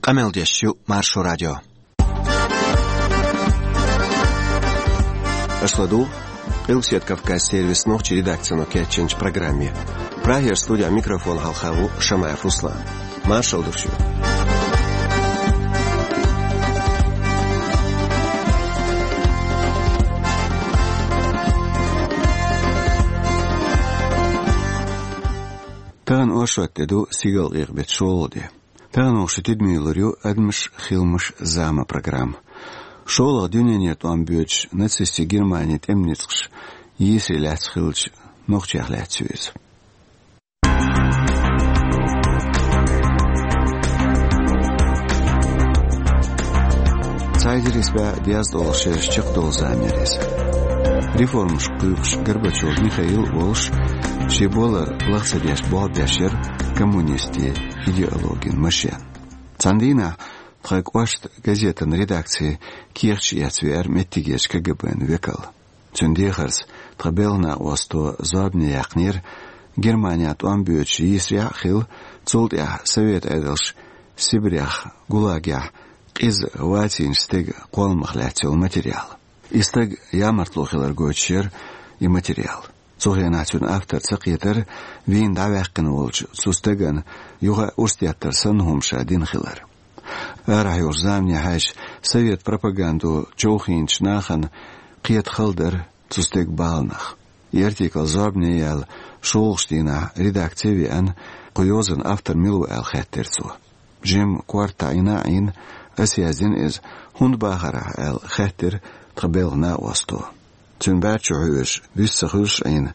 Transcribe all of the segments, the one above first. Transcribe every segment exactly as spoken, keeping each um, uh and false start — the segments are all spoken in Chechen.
Къамел деш ю Маршо радио. Аша ладугӀу Къилбседа Кавказ сервисан нохчийн редакцино кечйинчу программе. Прагера студехь микрофон хьалха ву Шамаев Руслан. Маршалла ду шуьга. Тахана оршот де ду, сигалкъекъа беттан шолгӀа де. Тахана оха шун тидаме лур ю «Адамаш, хиламаш, зама» программа. ШолгӀа дуьненан тӀом боьдуш нацистийн Германин тӀеман ницкъаша йийсаре лаьцна хиллачу нохчех лаьцна ю иза. Цхьа эзар исс бӀе дезткъа долу шераш чекхдолу зама яра иза. Реформаш кхуьйкхуш Горбачев Михаил а волуш, шен болар лаха ца деш болх беш яра коммунистийн идеологин машен. Цхьана дийнахь тхан кӀоштан газетан редакцин кехаташ эцна веара меттигерчу КГБ-н векал. Цуьнан дехарца тхан белхан накъосто зорбане яьккхинера Германехь тӀом боьдуш йийсарехь а хилла, цул тӀаьхьа совет Ӏедалша Сибрех, ГУЛАГехь къиза вацийначу стеган кхолламах лаьцна йолу материал. И стаг ямартло хилар гойтуш яра и материал. Цу хенахь цуьнан автор ца кхетара вийна дӀаваьккхина волчу цу стагана юха а урс деттар санна хӀума ша дина хилар. Арахь йолчу замане хьаьжча, совет пропагандо човхийначу нахана кхета хала дара цу стеган баланах. И артикл зорбане яьлла шолгӀачу дийнахь редакци веана, кху йозанан автор мила ву аьлла хаьттира цо. Жимма корта Ӏийна а Ӏийна, аса яздина иза, хӀунда бахара ахь аьлла хаьттира тхан белхан накъосто. Цуьнан бӀаьрчо хьоьжуш, вист ца хуьлуш Ӏийна,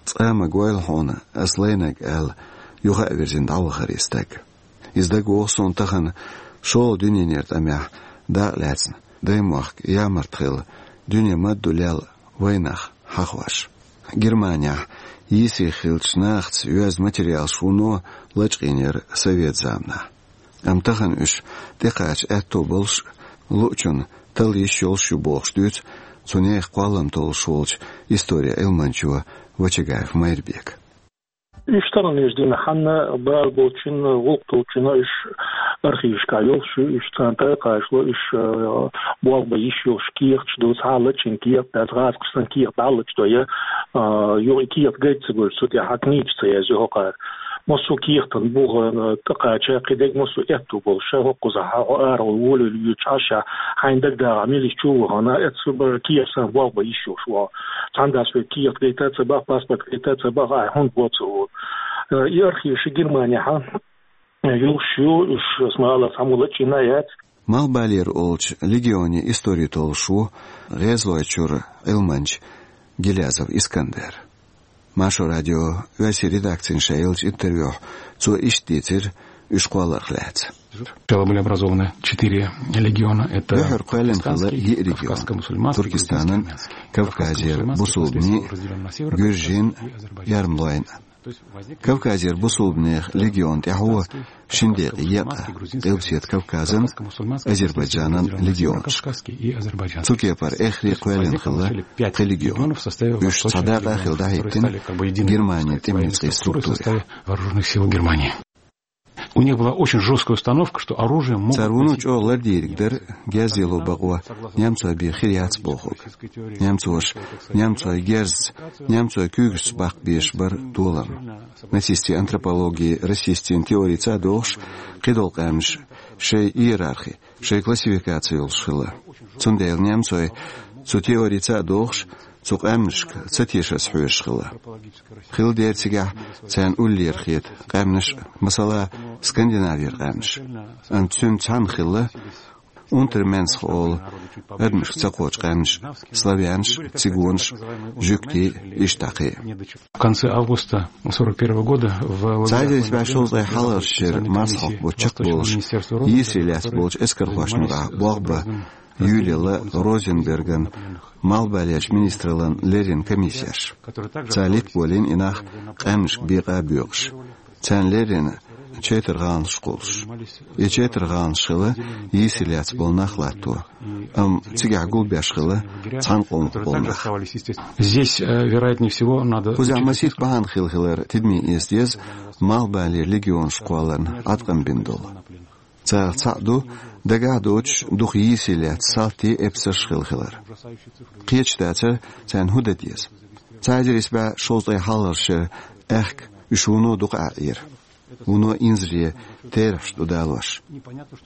цкъа а ма гойла хьуна ас лайнарг аьлла, юха а вирзина дӀавахара и стаг. Иза дагавогӀу суна тахана шолгӀа дуьненан тӀамехь дакъа лаьцна, даймохк ямарта хилла, дуьне ма-дду лелла вайнах хьахош. Германехь йийсаре хиллачу нахаца йоьзна материалаш вуно лачкъийнера совет заманахь. Амма тахана уьш тӀекхача аьтто болуш а, луучунна талла йиш йолуш а ю бохуш дуьйцу цу нехан кхоллам толлуш волчу историн Ӏилманчо Вачагаев Майрбека. Уьш тахана уьш дина хьанна бала болчунна, гӀуллакх долчунна уьш архивашкахь йолуш ю, уьш царна тӀекхачало, уьш, э, болх бан йиш йолуш кехаташ ду, цхьа а лачкъийна кехат дац, гӀазкхаша санна кехат дӀалачкъадо, я, э, юха и кехат гайта ца гойтуш, цу тӀехь хьан книга ца язйо хӀокхара. Массо а кехатан буха, э, тӀекхача, кхидерг массо а аьтто болуш, ша хӀокхузахь, хьо арахула волавелла воьдуш Ӏаш, хьайна дагадогӀу мила чу вахана, эццу бара кехат санна болх бан йиш йолуш ву. Цхьана дас вай кехат гайта ца баха, паспорт гайта ца баха, ахь хӀунда бо ца олу. Э, и архиваш Германехь, э, йолуш ю, уьш ас ма-аллара цхьаммо лачкъийна а яц. Малхбалера олучу легионан истори толлуш ву ГӀезалойчуьра Ӏилманча Гилязов Искандер. Маршо радион оьрсийн редакцина ша еллачу интервьюхь цо иштта дийцира уьш кхолларх лаьцна. Сначала были образованы четыре легиона. Это Дуьххьара кхоьллина хилла йиъ регион: Туркестанан, Кавказера бусулбанийн, гуьржийн, эрмалойн. Кавказера бусулбанех легион тӀаьхьо шина декъе екъна Къилбседа Кавказан, Азербайджанан легионаш. Цу кепара эххар а кхоьллина хилла пхи легион. Уьш цхьа дакъа а хилла дӀахӀиттина Германин тӀеман ницкъийн структурехь. Вооружённых сил Германии. У них была очень жёсткая установка, что оружие могут носить... Цара вуно чӀогӀа лардийриг дара герз яло бакъо немцойн бен хир яц бохург. Немцоша немцойн герзаца, немцойн куьйгашца баккха безаш бара толам. Нацистийн антропологи расистийн теорица а догӀуш, кхидолу къаьмнаш шайн иерархи, шайн классификаци йолуш хилла. Цундела немцой цу теорица а догӀуш, цу къаьмнашка ца тешарца хьоьжуш хилла. Хилла дера цигахь царна уллера хета къаьмнаш, масала, Скандинавера къаьмнаш. Амма цуьнца цхьаьна хилла Унтерменсх олу адамашка ца кхочу къаьмнаш: славянаш, цигонаш, жуьгтий, иштта кхин а. В конце августа сорок первого года в лагерях... Цхьа эзар исс бӀе шовзткъе хьалхарчу шеран марсхьокху бутт чекхболуш, йийсаре лаьцна болчу эскархошна юкъахь болх бан юьйлаелла Розенберган малхбалерчу министраллан леррина комиссеш. Цара литболийна и нах къаьмнашка бекъа а боькъуш. Царна леррина чайтар гӀаланаш кхуллуш. И чайтар гӀаланаш хилла йийсаре лаьцна болу нах латто, амма цигахь гулбеш хилла цхьана къомах болу нах. Здесь, э, вероятнее всего, надо... Кхузахь масийтта бахьана хилла хилар тидаме эца деза малхбалера легионаш кхолларна Ӏаткъам бина долу. Царах цхьаъ ду дагахь доцуш дукха йийсаре лаьцна салтий эпсарш хилла хилар. Кхеташ дацара, царна хӀун дан деза. Цхьа эзар исс бӀе шовзткъе хьалхарчу шеран аьхка уьш вуно дукха Ӏаьхьира. Вуно инзаре терахьаш ду далош.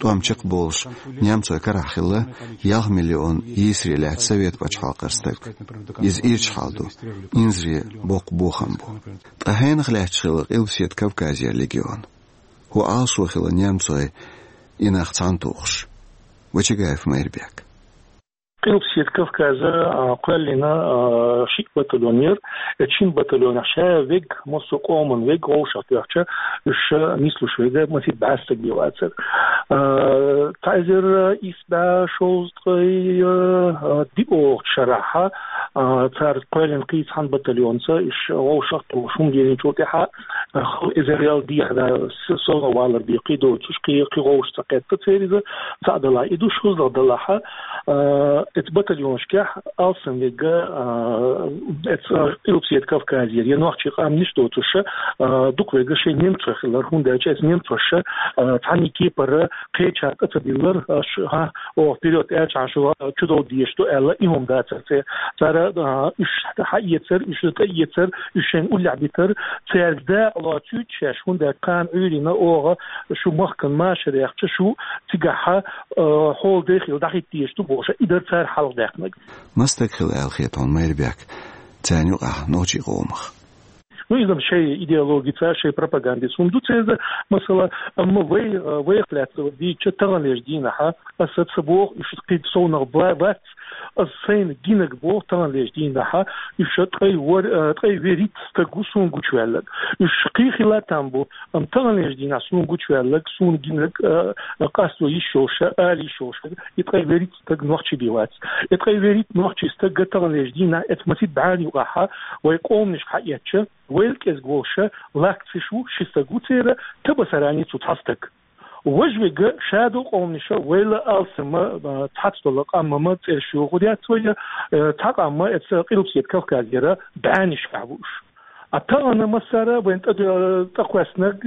ТӀом чекхболуш немцойн карахь хилла ялх миллион йийсаре лаьцна Совет пачхьалкхера стаг. Иза ирча хьал ду, инзаре боккха бохам бу. Ткъа хьенах лаьтташ хилла Къилбаседа Кавказера легион? ХӀун Ӏалашо хилла немцойн и нах цхьаьна тухуш? Вачагаев Майрбек. Къилбаседа Кавказа, а, кхоьллина, а, шиъ батальон яра. Эцу шина батальонехь ша вега, массо а къоман вега, вовшах тоьхча, уьш ша нислуш вега, масех бӀе стаг бен вацара. А, цхьа эзар исс бӀе шовзткъе, а, диъ шарахь, а, цара кхоьллина кхин цхьана батальонца, уьш вовшах а тухуш, хӀума дийцинчул тӀаьхьа, а, хала эзарел дехьа, да, с-, сов валар бен кхин доцуш, кхин, кхин вовшах ца кхетта церан иза, цхьаъ далахь и ду, шозлагӀа далахь, а, эцу батальонашкахь алсам вега, а, эцу Къилбаседа Кавказера, я нохчийн къаьмнаш доцуш, а, дукха вега шайн немцой хилар, хӀунда аьлча эцу немцоша, а, цхьанна кепара кхечарна тӀе ца диллар, аш, хӀа, оха вперёд аьлча, хьан шу чудов дезаш ду аьлла, и хӀума дацара церан. Цара, а, уьш хьаэцар, уьш тӀеэцар, уьш шайна уллехь битар, цаьрга дакъа лоцуьйту шаьш, хӀунда аьлча кхана Ӏуьйранна оха шу махкана машар яьхча, шу цигахь, а, хьола дехийла дӀахӀитта дезаш ду бохуш, и дара цара хьалхадаьккхинарг. Маса стаг хилла аьлла хета хьуна, Майрбек, царна юкъахь нохчийн къомах? Ну, иза-м шайн идеологица, шайн пропагандица хӀума ду церан, масала, амма вай, а, вайх лаьцна дийцича, таханлерчу дийнахьа, аса ца боху, уьш кхин совнах ба-, бац, аса сайна гинарг боху, таханлерчу дийнахьа, уьш ткъе вар-, а, ткъе вуьрхӀитта стаг ву суна гучуваьлларг. Уьш кхин хилла там бу, амма таханлерчу дийнахь суна гучуваьлларг, суна гинарг, а, а, къасто йиш йолуш, ала йиш йолуш, и ткъе вуьрхӀитта стаг нохчи бен вац. И ткъе вуьрхӀитта нохчийн стаг таханлерчу дийнахь, эцу масех бӀенна юкъахьа, вай къоманашка хьаэцча, вайл кӀезиг волуша лакцеш ву, ши стаг ву церан, Табасарани цу цхьа стаг. Важа вега шадолу къоманаша вайла алсама, а, цхьацца долу къаммама цӀераш йоху яц вай, а, цхьа къамма эца Къилбаседа Кавказера бӀеннашкахь ву уьш. А тахана массара вайн тӀе-, тӀекхоьссинарг,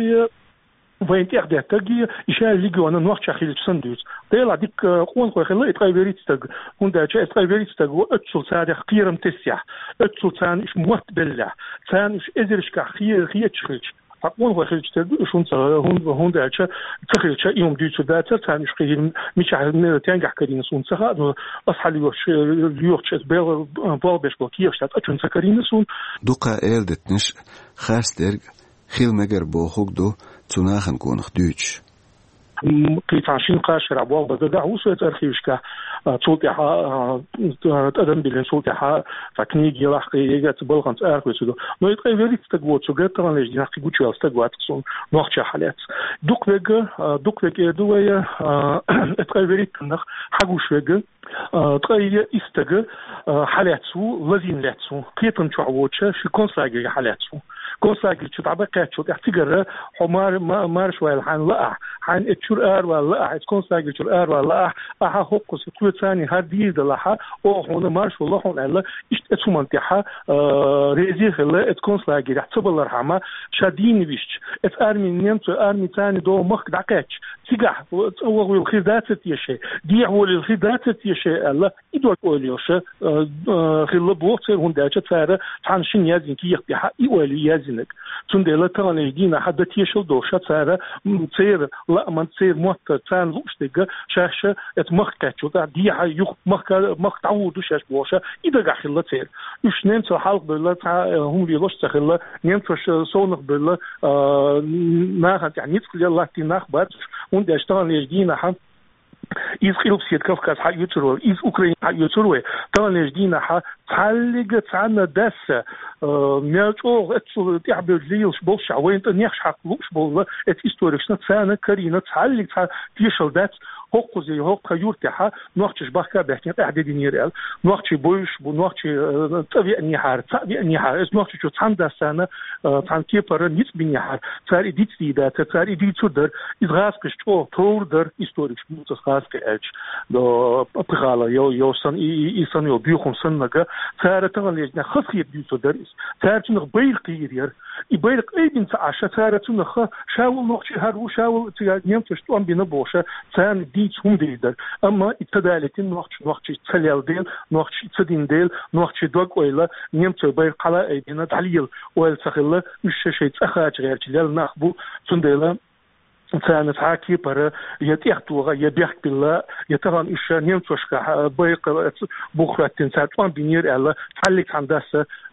вайн тӀехдеттарг, и ша легиона нохча хилча санна дуьйцу. Делахь дика къонахой хилла и ткъе вуьрхӀитта стаг, хӀунда аьлча эца ткъе вуьрхӀитта стаг ву оццул царех кхерам тессехь, оццул царна уьш мотт беллехь, царна уьш эзаршкахь хе-, хеташ хилча. Ткъа къонахой хилча тера ду уьш, хӀунда, хӀун-, хӀунда аьлча ца хилча, и хӀума дуьйцур дацара, царна уьш кхин мичахь, ме-, тенгахь карийна суна ца хаьа, но ас хьалайохуш, йохуш эца бел-, болх беш болу кехаташ дац, а чун ца карийна суна. Дукха эладитанаш харцдерг хила мегар бохург ду цу нахана гонах дуьйцуш. М, кхин цхьана шина-кхаа шарахь болх бан дагахь ву со эца архивашкахь, а, цул тӀаьхьа, а, тӀадам биллина, цул тӀаьхьа цхьа книга елахь, кхин ега цу балханца арахоьцур ду. Но и ткъе вуьрхӀитта стаг воцург таханлерчу дийнахь кхин гучуваьлла стаг вац-кх суна нохча хьалаьцна. Дукха вега, а, дукха вега эр ду вай, а, и ткъе вуьрхӀиттаннах хьагуш вега, а, ткъе исс стаг, а, хьалаьцна ву, лазийна лаьцна ву, кхетам чохь воцуша ши концлагере хьалаьцна ву. Концлагерчу дӀабаккхаьччул тӀаьхьа цигара хьо мар-, ма-, марша ваьлла хьайна лаахь, хьайна эцу чуьра аравала лаахь, эцу концлагерчуьра аравала лаахь, ахьа хӀокхуза кхоьцарний хӀара дийр далахьа, оха хьуна марша вала хьуна аьлла, иштта эцу хӀуманна тӀехьа, а, реза хилла эцу концлагерехь ца балархьама, ша дийна висча, эцу арми, немцойн арми царний догӀу махка дӀакхаьчча, цигахь цӀа ваха вилла хир дацар теша, дехьа волийла хир дацар теша аьлла, и дог ойла йолуша, а, а, хилла боху церан, хӀунда аьлча цара цхьана шина яздина кехат тӀехьа и ойла ю яздинарг. Цундела таханлерчу дийнахьа дан тешалла долуша цара, м, церан лааман, церан моттар, царна лууш дерг шаьш эца махка кхаьччул тӀаьхьа дехьа юха махка, махка дӀагӀур ду шаьш бохуша, и дагахь хилла церан. Уьш немцал хьалха бевлла цхьа, а, хӀума лелош а ца хилла, немцоша совнах бевлла, а, нахана тӀехь ницкъ лелла латтийна нах бац уьш, хӀунда аьлча таханлерчу дийнахьа иза Къилбаседа Кавказ хьаоьцур вай, иза Украина хьаоьцур вай, таханлерчу дийнахьа цхьаллига цхьанна дасса, а, мел чӀогӀа эццул тӀаьхьабевлла лелаш болуш а, вайна тӀе нехаш хьакха лууш болла эца историкашна, царна карийна цхьаллига цхьа тешалла дац, хӀокхуза, хӀокху юьртахьа нохчаш бахка а баьхкина къаьхьа де динера аьлла. Нохчий бовзуш бу, нохчий, а, цӀа веанехьара, цхьаъ веанехьара, эца нохчий чу цхьана дас царна, а, цхьана кепара ницкъ бинехьара, цара и дицдийр дацара, цара и дийцур дара, иза гӀазкхаша чӀогӀа товр дара, историкаш буьйцу аса гӀазкхи аьлча, до, пхи хала йо-, йо сан, и, и, и санна йолу буьйхун саннага, Цара таханлерча дийнахьа хазахетар дуьйцур дара иза. Цара цунах байракх йийр яра. И байракх айбина ца Ӏаш, цара цунах ха, ша вол нохчий хӀара ву, ша вол цига немцоша тӀом бина бохуш, царна дийца хӀума дийр дара. Амма и ца далийтина нохчий, нохчий ца лелла дела, нохчий ца дина дела, нохчий дог-ойла, немцой байракх хьала айбина, дӀалела ойла ца хилла, уьш шайн цӀа кхача гӀерташ лелла нах бу, цундела царна цхьа кепара я тӀехтоха, я бехк билла, я тахана уьш немцошкахь байракх бух хӀоьттина цара тӀом бинера аьлла, цхьаллиг цхьана дас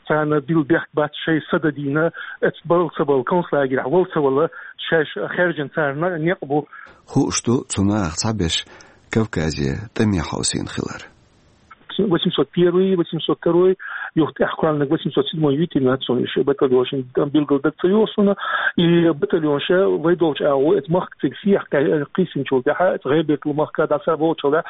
царна билла бехк бац, шайн са дан дийна, эцу бала ца бала, концлагерехь вала ца вала, шаьш хаьржина царна некъ бу. Хууш ду, цу нахах цхьаберш Кавказе тӀаме хьовсийна хилар. Восемьсот первый, восемьсот второй, юха тӀехь кхоьллинарг восемьсот седьмой, витин нацо иши батальонашна билггал даг ца йоагӀа суна, и батальонаш вай долчу агӀо, эцу махка цига сехьа кхиссинчул тӀаьхьа, эцу ГӀайбердал махка дӀаса болчул тӀаьхьа,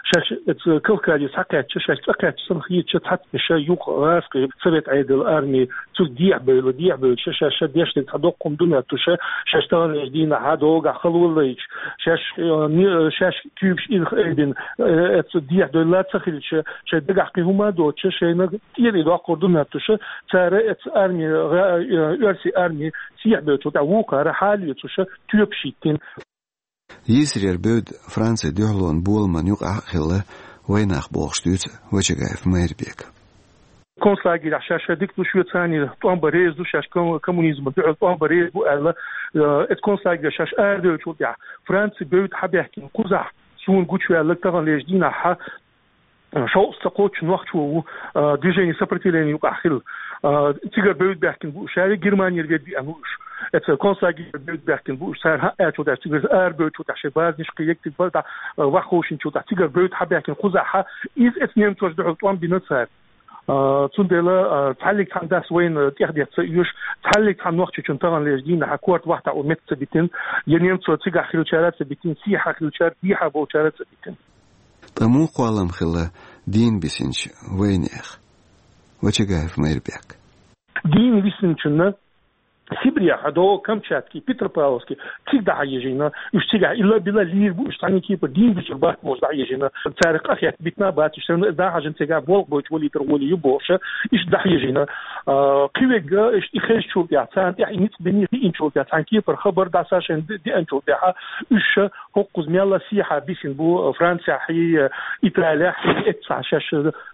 шаьш эцу Кавказе схьакхаьчча, шаьш цӀа кхаьчча санна хетча, цхьацца ша юха гӀазкхи совет Ӏедал арми цуьнга дехьабевлла, дехьабевлла, ша, ша, ша дешнарг цхьа доккха хӀума ду моьттуш, шаьш таханлерча дийнахьа догахь халаваллайча, шаьш, э, не-, шаьш куьйгаш ирх айбина, э, эцу дехьадевлла ца хилча, шайн дагахь кхин хӀума а доцуш, шайна тӀера и доккхур ду моьттуш, цара эцу арми, гӀа-, э, оьрсийн арми сехьабевллачул тӀаьхьа вукхара хьалоьцуш тоьпаш йиттина. Йийсарера бевдда Францин дуьхьалонан боламан юкъахь а хилла вайнах, бохуш дуьйцу Вачагаев Майрбека. Концлагерехь шаьш дика ду, шоьца царна тӀом бан реза ду, шаьш ком-, коммунизмана дуьхьал тӀом бан реза бу аьлла, э, эцу концлагерехь шаьш арадевллачул тӀаьхьа Францин бевдда хьабаьхкина кхузахь суна гучуваьлларг таханлерча дийнахьа, э, шовзткъа ца кхоччуш нохчо ву, э, движение сопротивления юкъахь хилла. Э, цигара бевдда баьхкина бу уьш, ша Германера ведда веана ву уьш. Эцу концлагерера бевдда баьхкина бу уьш, цара хӀун аьллачул тӀаьхьа, цигара арадевллачул тӀаьхьа шайн базанаш кхин егга цига бара, э, вахховшинчул тӀаьхьа цигара бевдда хьабаьхкина кхузахьа, иза эцу немцоша дуьхьал тӀом бина цара. А, цундела, а, цхьаллиг цхьана дас вайна тӀехдетта ца оьшу, цхьаллиг цхьана нохчочунна таханлерча дийнахьа корта вахтахь у метта ца битина, я немцо цигахь хиллачара ца битина, сехьа хиллачара, дехьа болчара ца битина. Ткъа муха кхоллам хилла дийна бисинчу вайнехан? Вачагаев Майрбек. Дийна висинчунна Сибрехь а до Камчатки, Петропавловски, цига дӀахьежийна, уьш цигахь илла-билла лийр бу, уьш цхьана кепара дийна бисург бац бохуш дӀахьежийна. Царах къахетта битина бац уьш, санна дӀахьажийна цигахь болх бойтуш валийтар гӀоле ю бохуш, иштта дӀахьежийна. А, кхин верг, иштта и хезначул тӀаьхьа, царна тӀехь и ницкъ бина хиъначул тӀаьхьа, цхьана кепара хабар дӀаса шайна де-, деанчул тӀаьхьа, уьш хӀокхуза мелла сехьа бисина бу Францехь, Италехь, эццахь шаьш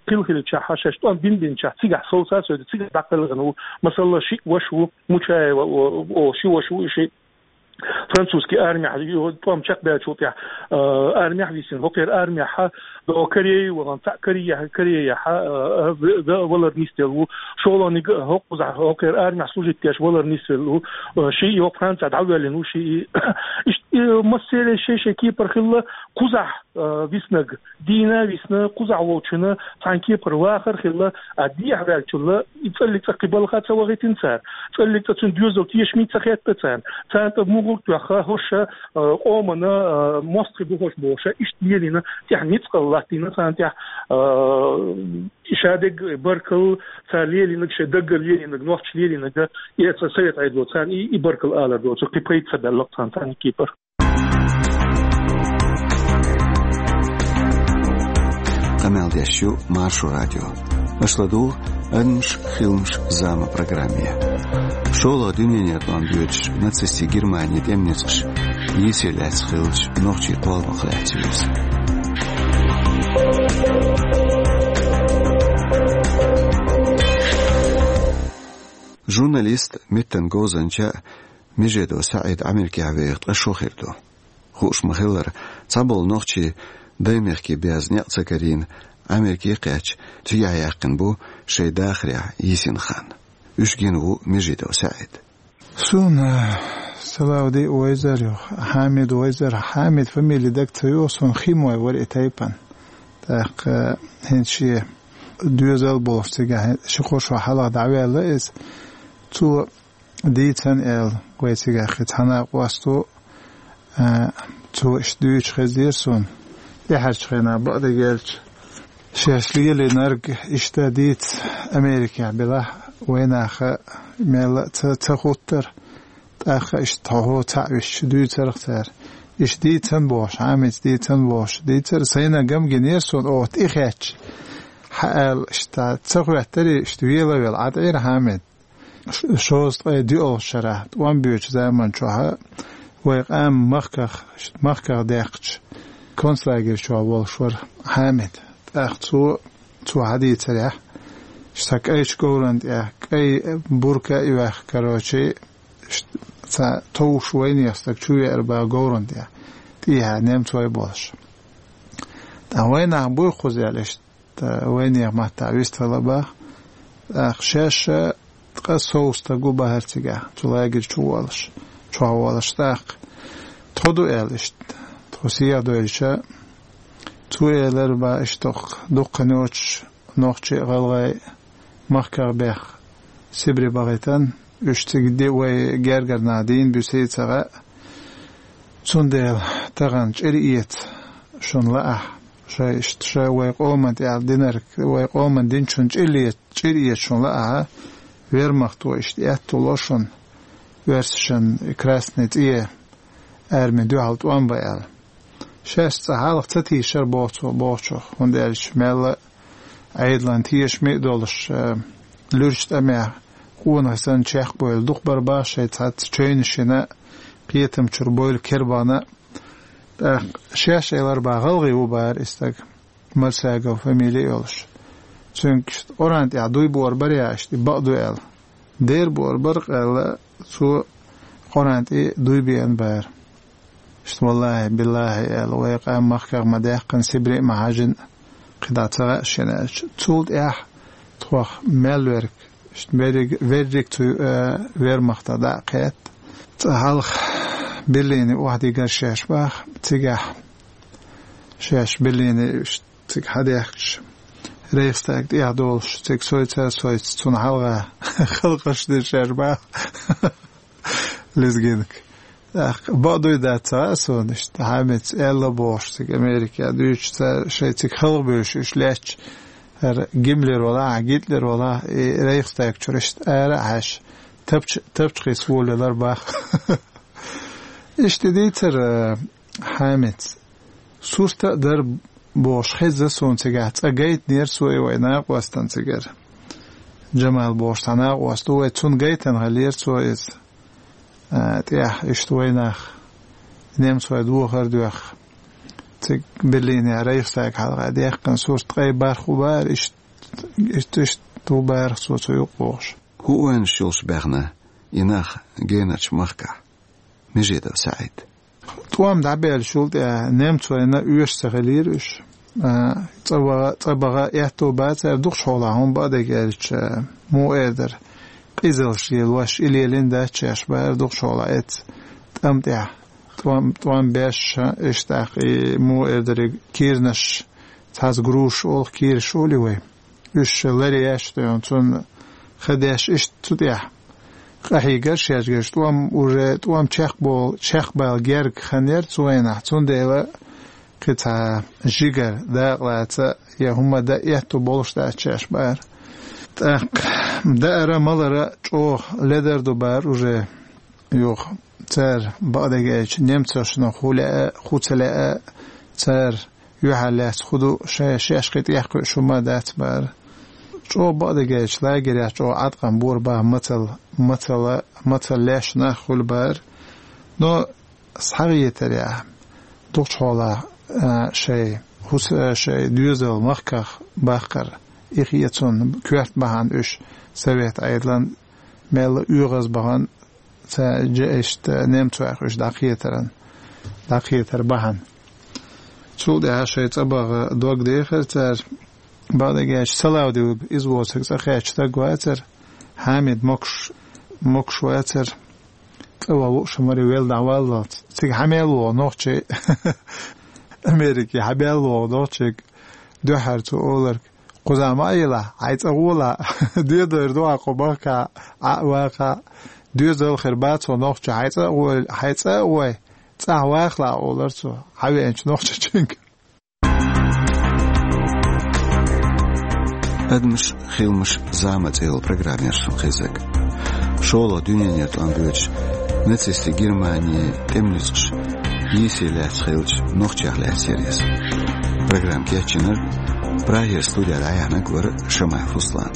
кхин хиллачохь, шаьш тӀом бина-биначохь, цигахь совсаза, цигахь дӀакхелхина ву. Масала, шиъ ваша ву, Мучаева, о, о, ши ваша ву и шиъ. Французский армехь ю-, тӀом чекхбаьллачул тӀаьхьа, э, армехь висина. ХӀокхеран армехь до Корее вахана, цхьаъ Корее-, Корейехь, э, в-, в-, валар нисделла ву. ШолгӀаниг хӀокхузахь, хӀокхеран армехь служить деш валар нисделла ву. Э, шиъ йо Францехь дӀавоьллина ву, шиъ и. Иштта, э, массеран шай-шай кепара хилла, кхузахь, э, виснарг дийна висна, кхузахь волчунна цхьана кепара вахар хилла, а дехьаваьллачунна и цӀаллиг цӀа кхин балха ца вахийтина цара. ЦӀаллиг цӀа цуьнан доьзал тешаме ца хетта царна. Царна тӀа мугӀар тоьхна, хӀорш, э, къомана, э, мостагӀий бу хӀорш бохуш, иштта лелийна, тӀехь ницкъал латтийна царна тӀехь, э, шадерг баркалла, цара лелийнарг, шайн даггара лелийнарг, нохчаша лелийнарг, и цхьа совет Ӏедало царна и, и баркалла алар доцург, кхин пайда ца баьлла-кх царна, царна кепара. Къамел деш ю Маршо радио. Аша ладугӀу «Адамаш, хиламаш, зама» программе. ШолгӀа дуьненан тӀом боьдуш нацистийн Германин тӀеман ницкъаш йийсаре лаьцна хиллачу нохчийн кхолламах лаьцна ю иза. Журналист, меттан говзанча Межидов СаӀид Америкехь веха ткъа шо хир ду. Хууш ма-хиллара, цхьаболу нохчий даймехкан беза некъ ца карийна, Америке кхаьчча, цигахь яьккхина бу шайн дахарехь йисина хан. Уьш гина ву Межидов СаӀид. Суна Салавди вайзар ю, Хьамид вайзар, Хьамид фамили дага ца йогӀу суна, хима вай вара и тайпана. ТӀаккха хӀинца шен доьзал болуш цигахь ши-кхо шо хьалха дӀаваьлла иза. Цо дийцина аьлла, вай цигахь цхьана къосто, а, цо иштта дуьйцуш хезнера суна, тӀаьхьарчу хенахь бакъдерг аьлча, шаьш лелийнарг иштта дийца Америкехь белахь, вайнаха мелла а ца, ца хуттара, тӀаккха иштта хьо-хьо цхьаъ висча дуьйцарх цара. Иштта дийцина бохуш, Хьамица дийцина бохуш, дийцар, сайна гам гинера суна, оха тӀе хетча. хьаала, иштта ца хӀоьттари, иштта вела-вела Ӏад Ӏийра Хьамид. Ш-, шовзткъе диъолгӀа шарахь, тӀом боьдучу заман чохь, вай къам махках, махках даьккхича, концлагерь чохь волуш вара Хьамид. ТӀаккха цо, цо хьадийцарехь, сан кӀайчу говран тӀехь, кӀай бурка а йоьхна, короче, ш-, ца товш вайнех стаг чу веара баха говран тӀехь, тӀехьа немцой болуш. ТӀаккха вайнах буй кхуза аьлла, иштта Ткъа вайнех маттахь вистхила баха. ТӀаккха шаьш а ткъа сов стаг ву бахара цигахь, цу лагерь чу волуш, чохь волуш тӀаккха. Тхо ду аьлла иштта, тхо сехьа доьлча, цо элира баха иштта дуккха йоцуш нохчий а, гӀалгӀай а махках бехк Сибре бахийтина, уьш цига де вай гергара нах дийна буьсий ца хаьа. Цундела тахана чӀир эца шуна лаахь, шай иштта ша вай къоман тӀехь динарг, вай къоман динчун чӀир эца, чӀир эца шуна лаахь, вермахто иштта аьтто ло шуна, оьрсашан красный цӀе арми дуьхьал тӀом бан аьлла. Шаьш цкъа хьалха ца тийшара боху цо бохучух, хӀунда аьлча мелла а Ӏедалан тешаме а долуш, э, луьрачу тӀамехь къонах санна чекхбевлла дукха бара баха шайн цхьацца чевнаш йина, кхетам чуьра бевлла кербана. ТӀаккха шаьш элира баха гӀалгӀа ву бахара и стаг, Мальсагов фамили а йолуш. Цуьнга иштта Къуръан тӀехь дуй бора бара я иштта, и бакъ ду аьлла. Дера бора бара къаьлла, цо Къуръан тӀе дуй беана бара. Иштта, валлахӀи, биллахӀи аьлла, вай къам махках ма даьккхина, Сибре а ма хьаьжжина, кхидӀа ца хаьа шена аьлча. Цул тӀаьхьа тхох мел верг, иштта верриг, верриг цу, э, вермахта дӀа а кхетта. Цкъа хьалха Берлине охьадигара шаьш баха, цигахь шаьш Берлине иштта цига хьадаьхкича, Рейхстаг тӀехь долуш, цига сойца а сойца, цунна хьалха халкъаш дира шаьш баха. Лезгинка. ТӀаккха бакъ дуй дац ца хаьа суна иштта, Хьамица аьлла бохуш, цига Америка дуьйцуш цара шайн цига халхабевлла уьш лаьтташ, хӀара Гиммлер валахь, Гитлер валахь, и Рейхстаг чуьра иштта ара а хьаьжча, тапча-, тапча кхийса волавелира баха. Иштта дийцара Хьамица. Сурт а дара бохуш хезна суна цигахь, цкъа гайтинера цо и вай накъостана цигара. Джамал бохуш цхьа накъост ву вай, цунна гайтина хиллера цо иза. А, тӀехь иштта вайнах немцой дохар а доьхна, цига Берлинехь Рейхстаг хьалха даьккхина сурт ткъе бархӀ ву бахара, иштта, иштта, иштта ву бахара цо цу юкъа вогӀуш. ХӀун ойнаш йолуш баьхна и нах генарчу махкахь? Межидов СаӀид. ТӀом дӀабаьллачул тӀаьхьа немцойна оьшуш ца хиллера уьш. А, цӀа ваха, цӀа баха аьтто бацара дукхачу хьолахь, хӀума бакъдерг аьлча, муха эр дара, къизалш лелош, и лелийна дац шаьш бахара дукхачу хьолахь эцца тӀам тӀехь. ТӀом, тӀом беш иштта тӀаккха и муха эр дара, кирнаш, цхьацца грушаш олу, кираш олий вай. Уьш ларъеш а дуьйна, цунна ха деш иштта цу тӀехь къахьийгара шаьш герш, тӀом уже, тӀом чекхбол-, чекхбала герга хан яра цу вайнахь, цундела кхин цхьа жигара дакъалаца я хӀума дан аьтто болуш дац шаьш бахара. ТӀаккха даара, малара чӀогӀа ледар ду бахара уже. Юха цара, бакъдерг аьлча, немцошна хӀу лаьа, хӀу ца лаьа, цара юьхьар лаьцна хӀу ду, шаьш, шаьш кхин тӀехь кхуьуш хӀума дац бахара. ЧӀогӀа, бакъдерг аьлча, лагерехь чӀогӀа Ӏаткъам бора баха мацалла, мацалла, мацалла леш нах хуьлу бахара. Но схьагӀетарехь, дукхачу хьолахь, а, шайн хӀус-, а, шайн доьзал махках баккхар, и хе цунна коьрта бахьана уьш Совет Ӏедалан мелла оьгӀаз бахана, ца жа иштта немцойх уьш дӀакхетаран, дӀакхетар бахьана. Цул тӀаьхьа шайн цӀа баха дог дехира цара, бакъдерг аьлча, Салавдиев иза воцург цӀа кхаьчча стаг вацара, Хьамид могуш, могуш вацара, цӀа ваха лууш маре велла дӀаваллалц. Цига хьан мел вогӀу нохчий? Америке хьан мел вогӀу нохчий? Дуьххьара цо олург: «Кхузахь ма а елахь, хьайн цӀа гӀолахь, доьдойр ду хьан кху махкахь, Ӏа а вахахь, доьзал хир бац хьо нохча, хьайн цӀа а гӀой, хьайн цӀа а гӀой, цӀахь вахалахь», — олура цо хьан веанчу нохчочуьнга. «Адамаш, хиламаш, зама» цӀе йолу программа яра шуна хезнарг. ШолгӀа дуьненан тӀом боьдуш, нацистийн Германин тӀеман ницкъаша йийсий лаьцна хиллачу нохчех лаьцна яра иза. Программа кечйинарг Прагера студия дӀаяхьнарг вара Шамаев Руслан.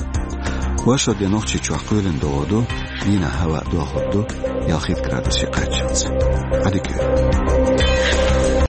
Оршот де Нохчийчохь кхоьлина догӀа ду, дийнахь хӀаваъ дохур ду ялхитта градусе кхаччалц. Ӏадика йойла.